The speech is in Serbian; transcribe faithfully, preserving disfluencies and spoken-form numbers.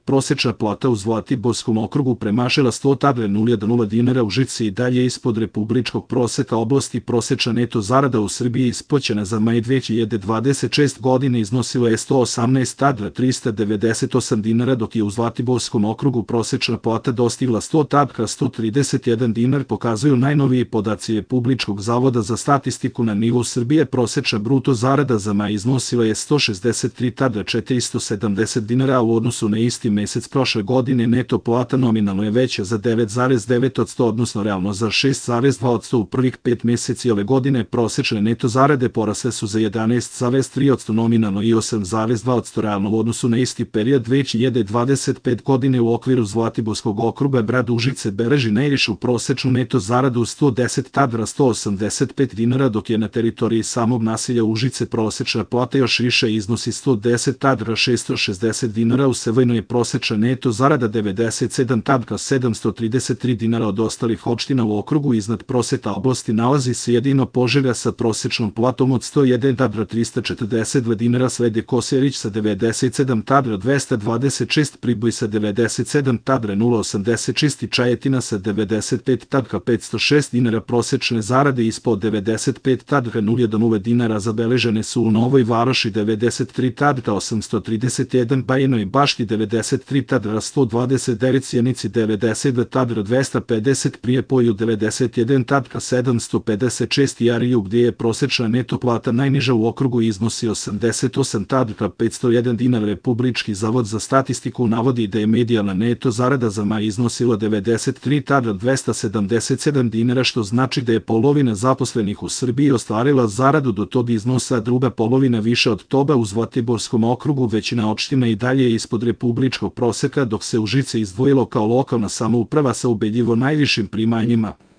prosečna plata u Zlatiborskom okrugu premašila sto hiljada dinara, u Užice i dalje ispod republičkog proseka oblasti. Prosečna neto zarada u Srbiji isplaćena za maj dve hiljade dvadeset šeste. godine iznosila je sto osamnaest hiljada trista devedeset osam dinara, dok je u Zlatiborskom okrugu prosečna plata dostigla sto hiljada sto trideset jedan dinar, pokazuju najnoviji podaci Republičkog zavoda za statistiku. Na nivou Srbije prosečna bruto zarada za maj iznosila je sto šezdeset tri hiljade četiristo sedamdeset dinara, a u odnosu na isti mesec prošle godine neto plata nominalno je veća za devet zarez devet posto, odnosno realno za šest zarez dva posto. U prvih pet meseci ove godine prosečne neto zarade porasle su za jedanaest zarez tri posto nominalno i osam zarez dva posto realno u odnosu na isti period dve hiljade dvadeset pete. godine. U okviru Zlatiborskog okruga grad Užice beleži najvišu prosečnu neto zaradu sto deset hiljada sto osamdeset pet dinara, dok je na teritoriji samog naselja Užice prosečna plata još više, iznosi sto deset hiljada šesto šezdeset dinara. U Sevojnoj je prosečna neto zarada devedeset sedam hiljada sedamsto trideset tri dinara. Od ostalih opština u okrugu iznad proseka oblasti nalazi se jedino Požega sa prosečnom platom od sto jedan hiljada trista četrdeset dva dinara, slede Kosjerić sa devedeset sedam hiljada dvesta dvadeset šest, Priboj sa devedeset sedam hiljada osamdeset šest i Čajetina sa devedeset pet hiljada petsto šest dinara. Prosečne zarade ispod devedeset pet hiljada dinara zabeležene su u Novoj Varoši devedeset tri hiljade osamsto trideset jedan, Bajinoj Bašti devedeset tri hiljade sto dvadeset devet, Sjenici devedeset dva hiljada dvesta pedeset, Prijepolju devedeset jedan hiljada sedamsto pedeset šest i Ariju, gdje je prosečna neto plata najniža u okrugu, iznosi osamdeset osam hiljada petsto jedan dinar. Republički zavod za statistiku navodi da je medijalna neto zarada za maj iznosila devedeset tri hiljade dvesta sedamdeset sedam dinara, što znači da je polovina zaposlenih u Srbiji ostvarila zaradu do tog iznosa, a druga polovina više od toga. U Zlatiborskom okrugu većina opština i dalje je ispod republičkog proseka, dok se Užice izdvojilo kao lokalna samouprava sa ubedljivo najvišim primanjima.